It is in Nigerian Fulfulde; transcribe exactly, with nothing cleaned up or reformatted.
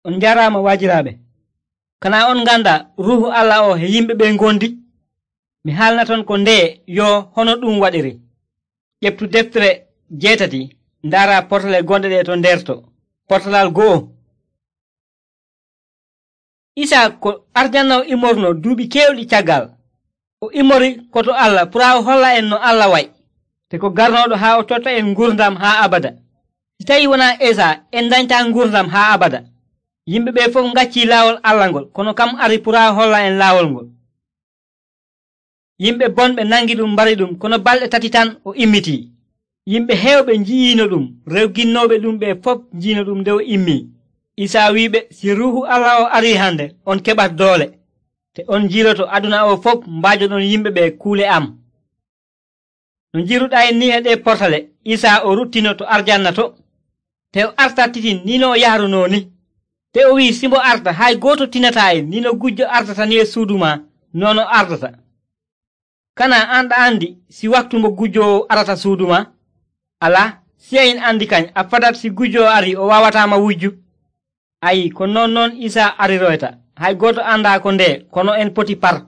On jarama waajiraaɓe. Kana on nganda ruuhu Allah o he yimɓe ɓe ngondi? Mi haalnaton ko nde yo hono ɗum waɗiri. ƴeftu deftere jeetati ndaara portale gonɗe ɗe to nder to. Portalal go'o. Isaa ko arjanna o immorno duuɓi keewɗi caggal. O immori koto Allah pura o holla en no Allah wa'i, te ko garnoɗo haa o totta en ngurdam haa abada. Si tawi wona Esa en dañta ngurdam haa abada. Yimɓe ɓe fof ngacci laawol Allah ngol, kono kam ari pura holla en laawol ngol. Yimɓe bonɓe nangi ɗum mbari ɗum, kono balɗe tati tan o immitii. Yimɓe heewɓe nji'ino ɗum, rewginnoɓe ɗum ɓe fof njiino ɗum nde o immii. Isaa wiiɓe, si ruuhu Allah o arii hande, on keɓat doole, te on njiiloto aduna o fof mbaajoɗon yimɓe ɓe kuule am. No njiiruɗaa en ni e ɗe portale, Isaa o ruttino to arjanna to, te o artattitin ni no o yahrunoo ni. Te o wii simbo arta hay gooto tinataa en ni no gujjo ardata ni e suudu ma, non o ardata. Kana anɗa andi si waktu mo gujjo arata suudu ma? Alaa, sey en andi kañ a fadat si gujjo ari o wawatama wujju. Ayi, ko non noon Isaa ariroyta. Hay gooto anda ko nde, kono en poti par.